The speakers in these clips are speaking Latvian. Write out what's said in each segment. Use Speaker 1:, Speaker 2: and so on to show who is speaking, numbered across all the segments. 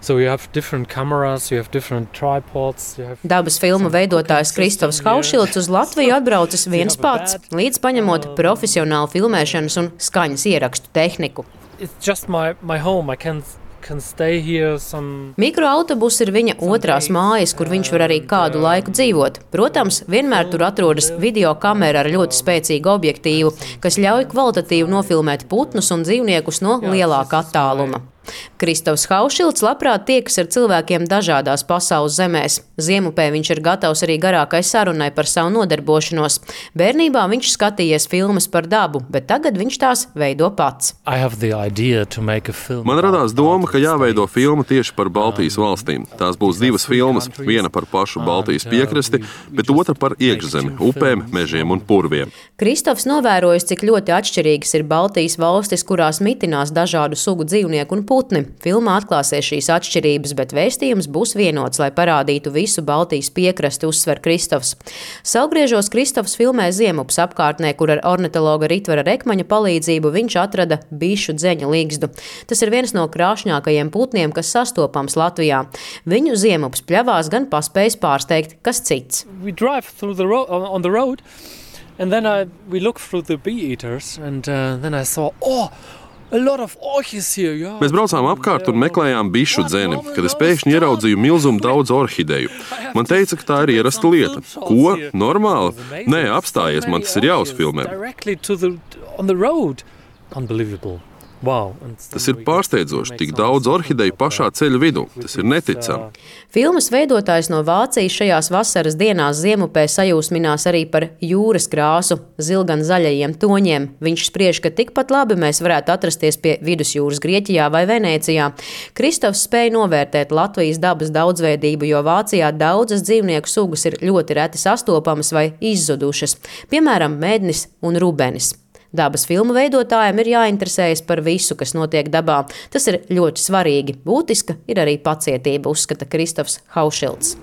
Speaker 1: So you have different cameras, you have different tripods.
Speaker 2: Dabas filmu veidotājs Kristofs Haušilds uz Latviju atbraucis viens pats, līdz paņemot profesionālu filmēšanas un skaņas ierakstu tehniku.
Speaker 1: It's just my home. I can stay here
Speaker 2: Mikroautobus ir viņa otrās mājas, kur viņš var arī kādu laiku dzīvot. Protams, vienmēr tur atrodas videokamera ar ļoti spēcīgu objektīvu, kas ļauj kvalitatīvi nofilmēt putnus un dzīvniekus no lielāka attāluma. Kristofs Haušilds labprāt tiekas ar cilvēkiem dažādās pasaules zemēs. Ziemupē viņš ir gatavs arī garākai sarunai par savu nodarbošanos. Bērnībā viņš skatījies filmas par dabu, bet tagad viņš tās veido pats.
Speaker 3: Man radās doma, ka jāveido filma tieši par Baltijas valstīm. Tās būs divas filmas, viena par pašu Baltijas piekrasti, bet otra par iekšzemi, upēm, mežiem un purviem.
Speaker 2: Kristofs novērojis, cik ļoti atšķirīgas ir Baltijas valstis, kurās mitinās dažādu sugu dzīvnieku un putni. Filmā atklāsies šīs atšķirības, bet vēstījums būs vienots, lai parādītu visu Baltijas piekrasti, uzsver Kristofs. Savgriežos Kristofs filmē Ziemupas apkārtnē, kur ar ornitologa Ritvara Rekmaņa palīdzību viņš atrada bišu dzeņa ligzdu. Tas ir viens no krāšņākajiem putniem, kas sastopams Latvijā. Viņu Ziemupas pļavās gan paspējis pārsteigt kas cits.
Speaker 1: And then we looked through the bee eaters, and then I saw, a lot of orchids here. Yeah.
Speaker 3: Mēs braucām apkārt un meklējām bišu dzeni, kad es pēkšņi ieraudzīju milzumu daudz orhideju. Man teica, ka tā ir ierasta lieta. Ko? Normāli? Nē, apstājies, man tas ir jāuzfilmē.
Speaker 1: Wow.
Speaker 3: Tas ir pārsteidzoši, tik daudz orhideju pašā ceļa vidū. Tas ir neticami.
Speaker 2: Filmas veidotājs no Vācijas šajās vasaras dienās Ziemupē sajūsminās arī par jūras krāsu, zilgan zaļajiem toņiem. Viņš spriež, ka tikpat labi mēs varētu atrasties pie vidusjūras Grieķijā vai Venēcijā. Kristofs spēja novērtēt Latvijas dabas daudzveidību, jo Vācijā daudzas dzīvnieku sugas ir ļoti reti sastopamas vai izzudušas, piemēram, mednis un rubenis. Dabas filmu veidotājiem ir jāinteresējas par visu, kas notiek dabā. Tas ir ļoti svarīgi. Būtiska ir arī pacietība, uzskata Kristofs Haušilds.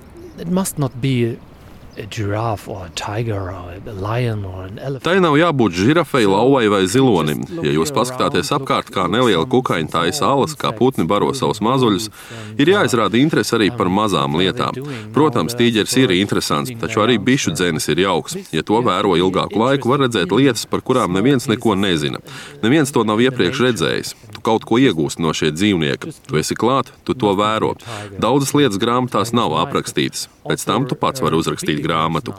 Speaker 3: Tai nav jābūt žirafei, lauvai vai zilonim. Ja jūs paskatāties apkārt, kā neliela kukaiņa taisa alas, kā putni baro savus mazuļus, ir jāizrāda interese arī par mazām lietām. Protams, tīģeris ir interesants, taču arī bišu dzenis ir jauks. Ja to vēro ilgāku laiku, var redzēt lietas, par kurām neviens neko nezina. Neviens to nav iepriekš redzējis. Tu kaut ko iegūsti no šie dzīvnieka. Tu esi klāt, tu to vēro. Daudzas lietas grāmatās nav aprakstītas. Pēc tam tu pats vari uzrakstīt grāmatu.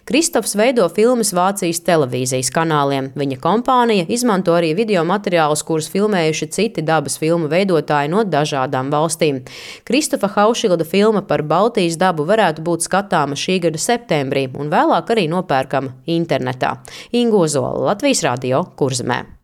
Speaker 2: Kristofs veido filmas Vācijas televīzijas kanāliem. Viņa kompānija izmanto arī video materiālus, kurus filmējuši citi dabas filmu veidotāji no dažādām valstīm. Kristofa Haušilda filma par Baltijas dabu varētu būt skatāma šī gada septembrī un vēlāk arī nopērkama internetā. Inga Ozola, Latvijas Radio, Kurzemē.